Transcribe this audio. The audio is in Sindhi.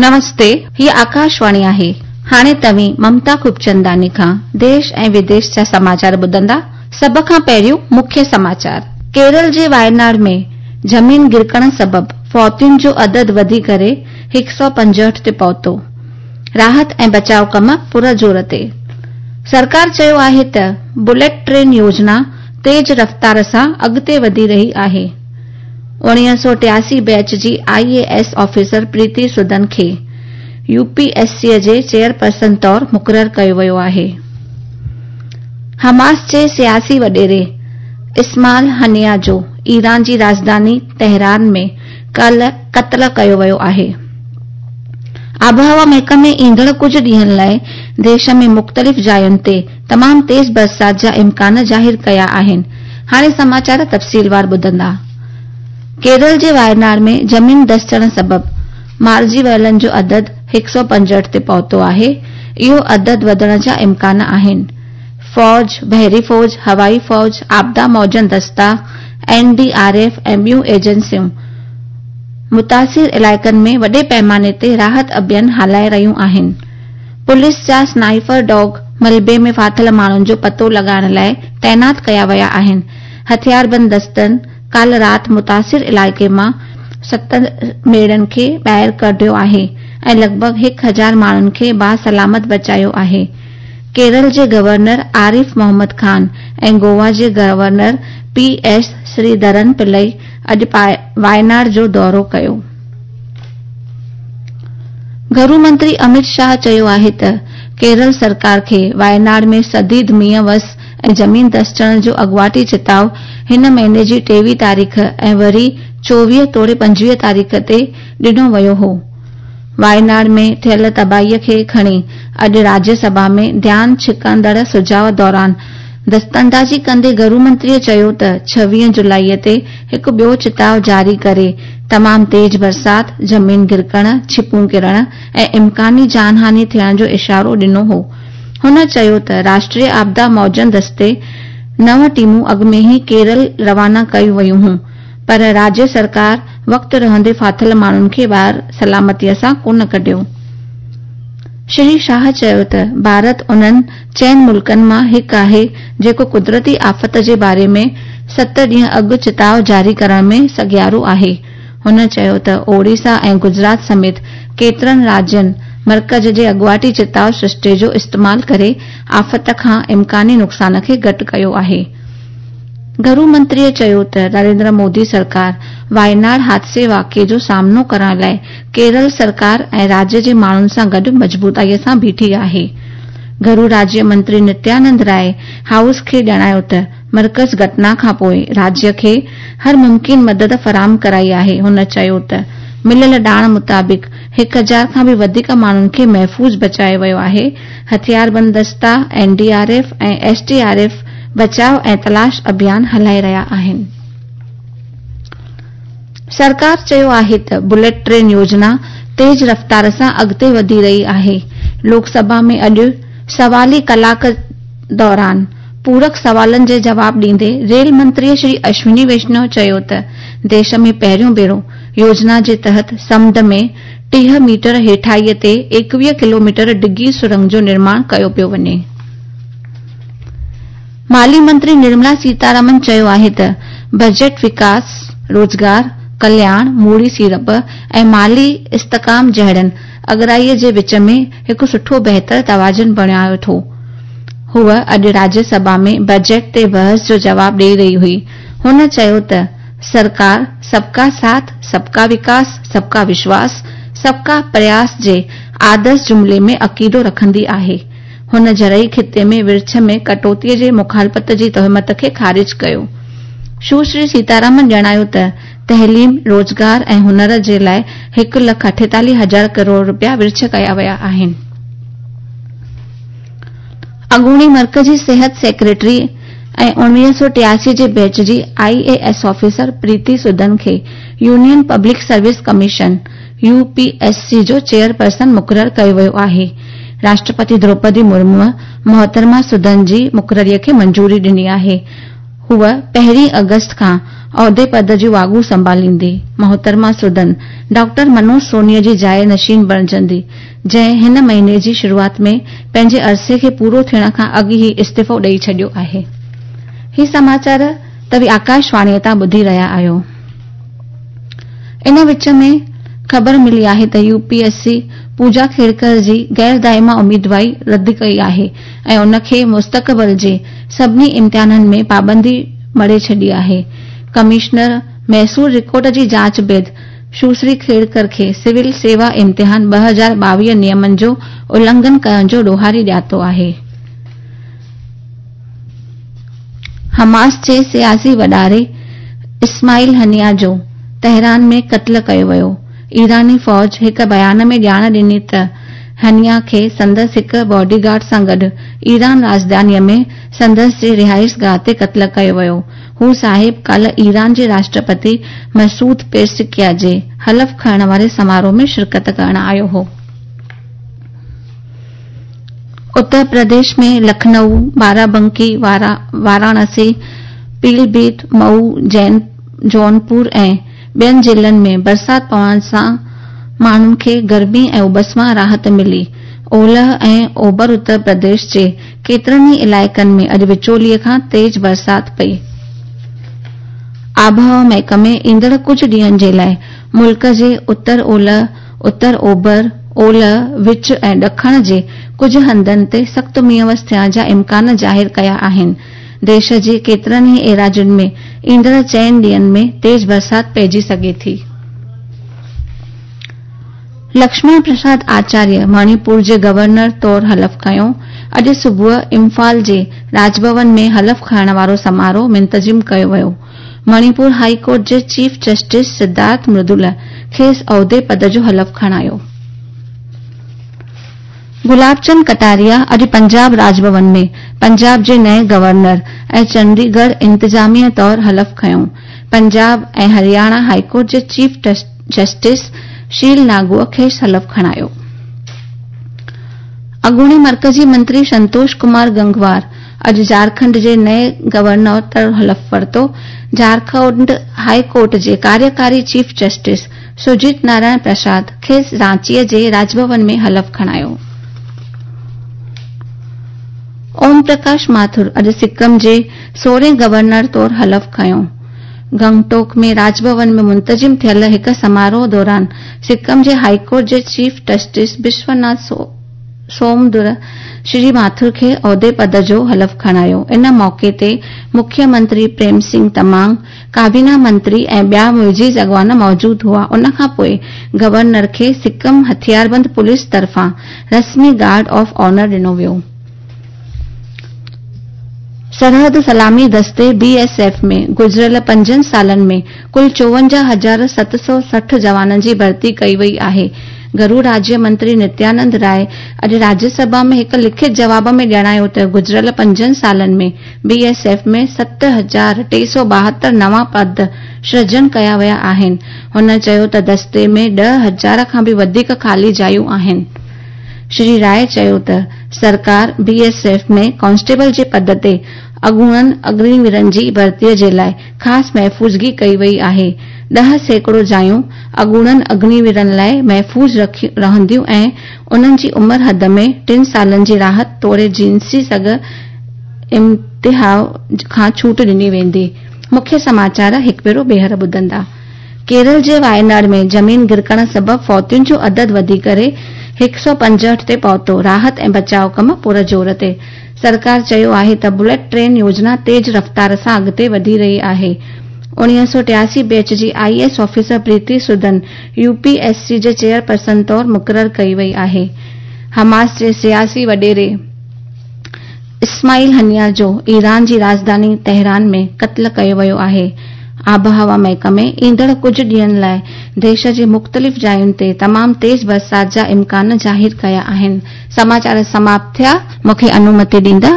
نمستي، هيء آڪاشواڻي آهي. هاڻي توهين ممتا خوبچنداڻي کان ديش ۽ وديش جا سماچار ٻڌندا. سڀ کان پهريون مکيه سماچار. ڪيرل جي وايناڙ ۾ زمين گرڪڻ سبب فوتين جو عدد وڌي ڪري 165 تي پهتو. راحت ۽ بچاء ڪم پر زور تي. سرڪار چيو آهي ته بليٽ ٽرين يوجنا تيز رفتار سان اڳتي وڌي رهي آهي. 1983 بيچ جي I A S officer Preeti Sudan کي يو پي ايس سي جي چيئرپرسن طور مقرر ڪيو ويو آهي. حماس جي سياسي وڏيري اسماعيل هنيه جو ايران جي راڄڌاني تهران ۾ ڪالهه قتل ڪيو ويو آهي. آبهوا محڪمي ايندڙ ڪجهه ڏينهن لاء ديش ۾ مختلف جاين تي تمام تيز برسات جا امڪان ظاهر ڪيا آهن. هاڻي سماچار تفصيلوار ٻڌندا. ڪيرل جي وايناڙ ۾ زمين دسجڻ سبب مارجي ويلن جو عدد 165 تي پهتو آهي. اهو عدد وڌڻ جا امڪان آهن. فوج، بحري فوج، هوائي فوج، آپدا موجن دستا، اين ڊي آر ايف ۽ ٻيون ايجنسيون متاثر علائقن ۾ وڏي پئماني تي راحت اڀيان هلائي رهيون آهن. پوليس جا سنائفر ڊاگ ملبي ۾ ڦاٿل ماڻهن جو پتو لڳائڻ لاء تعينات ڪيا ويا آهن. هٿياربند دستن ڪالهه رات متاثر علائقي مان ست ميڙن کي ٻاهر ڪڍيو آهي ۽ لڳ ڀڳ هڪ هزار ماڻهن کي باسلامت بچايو آهي. ڪيرل جي گورنر عارف محمد خان ۽ گوا جي گورنر پي ايس سريڌرن پلئي اڄ وايناڙ جو دورو ڪيو. گهرو منتري امت شاهه چيو آهي ته ڪيرل سرڪار کي وايناڙ ۾ شديد مينهن وس ۽ زمين دسجڻ جو اڳواٽي چتاء هن مهيني جي 23 تاريخ ۽ وري 24 توڙي 25 تاريخ تي ڏنو ويو هو. وايناڙ ۾ ٿيل تباهي کي کڻي اڄ راجيه سڀا ۾ ڌيان ڇڪندڙ سجهاء دوران دستاندازي ڪندي گهرو منتري چيو ته 26 جولائي تي هڪ ٻيو چتاء جاري ڪري تمام تيز برسات، زمين گرڪڻ، ڇپون ڪرڻ ۽ امڪاني جان هاني ٿيڻ جو اشارو ڏنو هو. هن چيو ته راشٽريه آپدا موجن دستي نو ٽيمون اڳ ۾ ئي ڪيرل روانا ڪيون ويون هون پر راجيه سرڪار وقت رهندي ڦاٿل ماڻهن کي ٻاهر سلامتي سان ڪونه ڪڍيو. شري شاهه چيو ته ڀارت انهن چئن ملڪن مان هڪ آهي جيڪو قدرتي آفت جي باري ۾ ست ڏينهن اڳ چتاء جاري ڪرڻ ۾ سگهيارو آهي. هن چيو ته اوڙيسا ۽ گجرات سميت ڪيترن راجين مرڪز جي اڳواٽي چتاء سرشتي جو استعمال ڪري آفت کان امڪاني نقصان کي گهٽ ڪيو آهي. گهرو منتري چيو ته نريندر مودي سرڪار وايناڙ حادثي واقعي جو سامنو ڪرڻ لاء ڪيرل سرڪار ۽ راجيه جي ماڻهن سان گڏ مضبوطائي سان بيٺي آهي. گهرو راجيه منتري نتيانند راء هائوس کي ڄاڻايو ته مرڪز گهٽنا کانپوء راجيه کي هر ممڪن مدد فراهم ڪرائي آهي. هن چيو ته مليل ڄاڻ مطابق هڪ هزار کان به وڌيڪ ماڻهن کي محفوظ بچايو ويو آهي، هٿياربند دستا، N D R F ۽ S D R F بچاء ۽ تلاش اڀيان هلائي رهيا آهن. سرڪار چيو آهي ته بليٽ ٽرين يوجنا تيز رفتار سان اڳتي وڌي رهي آهي. لوڪ سڀا ۾ اڄ سوالي ڪلاڪ دوران پورڪ سوالن جي جواب ڏيندي ريل منتري شري اشوني ويشنو چيو ته ديش ۾ پهريون ڀيرو يوجنا جي تحت سمنڊ ۾ 30 ميٽر هيٺائي تي 21 ڪلوميٽر ڊگهي سرنگ جو نرماڻ ڪيو پيو وڃي. مالي منتري نرملا سيتارامن چيو آهي ته بجيٽ وڪاس، روزگار، ڪلياڻ، موڙي سيڙپ ۽ مالي استحڪام جهڙن اڳرائي جي وچ ۾ هڪ سٺو بهتر توازن بڻايو ٿو. هوء اڄ راجيه سڀا ۾ بجيٽ تي بحث جو جواب ڏئي رهي هئي. هن چيو ته سرڪار سب ڪا ساٿ، سب ڪا وڪاس، سب ڪا وشواس، سب ڪا پرياس جي آدرش جملي ۾ عقيدو رکندي آهي. هن زرعي خطي ۾ ورڇ ۾ ڪٽوتي جي مخالفت جي تهمت کي خارج ڪيو. سشري سيتارامن ڄاڻايو ته تعليم، روزگار ۽ هنر جي لاء هڪ لک اٺيتاليهه هزار ڪروڙ رپيا ورڇ ڪيا ويا آهن. اڳوڻي مرڪزي صحت سيڪريٽري ۽ 1983 جي بيچ جي I A S officer Preeti Sudan کي union public service commission, U P S C, جو چيئرپرسن مقرر ڪيو ويو آهي. راشٽرپتي دروپدي مرموء محترمه سدن جي مقرري کي منظوري ڏني آهي. هوء پهرين آگسٽ کان عهدي پد جون واڳون سنڀاليندي. محترمه سدن ڊاڪٽر منوج سونيء جي جاء نشين بڻجندي، جنهن هن مهيني جي شروعات ۾ پنهنجي عرصي کي پورو ٿيڻ کان اڳ ئي استعيفو ڏئي ڇڏيو آهي. هي سماچار توهين آڪاشواڻيء تان ٻڌي رهيا آهيو. ان وچ ۾ خبر ملي آهي ته U P S C Puja Khedkar جي غير دائمه اميدواري رد ڪئي آهي ۽ ان کي مستقبل جي سڀني امتحانن ۾ پابندي مڙهي ڇڏي آهي. ڪمشنر محصول رڪارڊ جي جاچ بعد سشري کيڙڪر کي سول سيوا امتحان 2022 نيمن جو النگهن ڪرڻ جو ڏوهاري ڄاتو آهي. حماس جي سياسي وڏيري اسماعيل هنيه جو تهران ۾ قتل ڪيو ويو. ايراني فوج هڪ بيان ۾ ڄاڻ ڏني ته هنيه کي سندس هڪ باڊي گارڊ سان گڏ ايران راڄڌاني ۾ سندس جي رهائشگاهه تي قتل ڪيو ويو. هو صاحب ڪالهه ايران جي راشٽرپتي مسعود پيزشڪيان جي حلف کڻڻ واري سماروهه ۾ شرڪت ڪرڻ آيو هو. اتر پرديش ۾ لکنؤ، بارابنڪي، واراڻسي، پيلي ڀيت، مئو، جونپور ۽ ٻين ضلعن ۾ برسات پوڻ سان ماڻهن کي گرمي ۽ اٻس مان راحت ملي. اولهه ۽ اوڀر اتر پرديش جي ڪيترن ئي علائقن ۾ اڄ وچولي کان تيز برسات پئي. آبهوا محڪمي ايندڙ ڪجهه ڏينهن جي لاء ملڪ جي اتر اولهه، اتر اوڀر، اولهه، وچ ۽ ڏکڻ جي ڪجهه هنڌن تي سخت مينهن وس ٿيڻ جا امڪان ظاهر ڪيا آهن. ديش جي ڪيترن ئي ايراضين ۾ ايندڙ چئن ڏينهن ۾ تيز برسات پئجي سگهي ٿي. لڪشمڻ پرساد آچاريه مڻيپور جي گورنر طور حلف کنيو. اڄ صبح امفال جي راڄ ڀون ۾ حلف کڻڻ وارو سماروهه منتظم ڪيو ويو. مڻيپور هائي ڪورٽ جي چيف جسٽس سڌارٿ مردول کيس عهدي پد جو حلف کڻايو. گلاب چند ڪٽاريا اڄ پنجاب راڄ ڀون ۾ پنجاب جي نئين گورنر ۽ چنڊيڳڙهه انتظاميه طور حلف کنيو. پنجاب ۽ هرياڻا هائي ڪورٽ جي چيف جسٽس شيل ناگوء کيس حلف کڻايو. اڳوڻي مرڪزي منتري سنتوش ڪمار گنگوار اڄ جهارکنڊ جي نئين گورنر طور حلف ورتو. جهارکنڊ هاء ڪورٽ جي ڪاريڪاري چيف جسٽس سجيت نارائڻ پرساد کيس رانچيء جي راڄ ڀون ۾ حلف کڻايو. اوم پرڪاش ماٿر اڄ سڪم جي سورهين گورنر طور حلف کنيو. گنگٽوڪ ۾ راڄ ڀون ۾ منتظم ٿيل هڪ سماروهه دوران سڪم جي هاء ڪورٽ جي چيف جسٽس بشوناٿ سومدر شري ماٿر کي عهدي پد جو حلف کڻايو. ان موقعي تي مکيه منتري پريم سنگهه تمانگ، ڪابينا منتري ۽ ٻيا معزز اڳواڻ موجود هئا. ان کان پوء گورنر کي سڪم هٿياربند پوليس طرفان رسمي گارڊ آف آنر ڏنو ويو. سرحد سلامي دستي، بي ايس ايف، ۾ گذريل پنجن سالن ۾ ڪل 54760 جوانن جي ڀرتي ڪئي وئي آهي. گهرو راجيه منتري نتيانند راء اڄ راجيه سڀا ۾ هڪ لکت جواب ۾ ڄاڻايو ته گذريل پنجن سالن ۾ بي ايس ايف ۾ 7372 نوان پد سرجن ڪيا ويا آهن. هن چيو ته دستي ۾ 10,000 کان به وڌيڪ خالي جايون آهن. شري راء چيو ته سرڪار بي ايس ايف ۾ ڪانسٽيبل جي پد تي اڳوڻن اگنيويرن جي ڀرتي جي لاء خاص محفوظگي ڪئي وئي آهي، 10% جايون اڳوڻن اگنيويرن لاء محفوظ رهنديون ۽ انهن جي عمر حد ۾ ٽن سالن جي راحت توڙي جنسي سگهه امتحان کان ڇوٽ ڏني ويندي. مکيه سماچار هڪ ڀيرو ٻيهر ٻڌندا. ڪيرل جي وايناڊ ۾ زمين گرڪڻ سبب فوتين جو عدد وڌي ڪري 165 تي پهتو، راحت ۽ بچاء ڪم پر زور تي. سرڪار چيو آهي ته بليٽ ٽرين يوجنا تيز رفتار سان اڳتي وڌي رهي آهي. 1983 بيچ جي I S officer Preeti Sudan U P S C جي چيئرپرسن طور مقرر ڪئي وئي آهي. حماس جي سياسي وڏيري اسماعيل هنيه جو ايران جي راڄڌاني تهران ۾ قتل ڪيو ويو آهي. آبهوا محڪمي ايندڙ ڪجهه ڏينهن لاء ديش جي مختلف جاين تي تمام تيز برسات جا امڪان ظاهر ڪيا آهن. سماچار سماپت ٿيا. مون کي انومتي ڏيندا.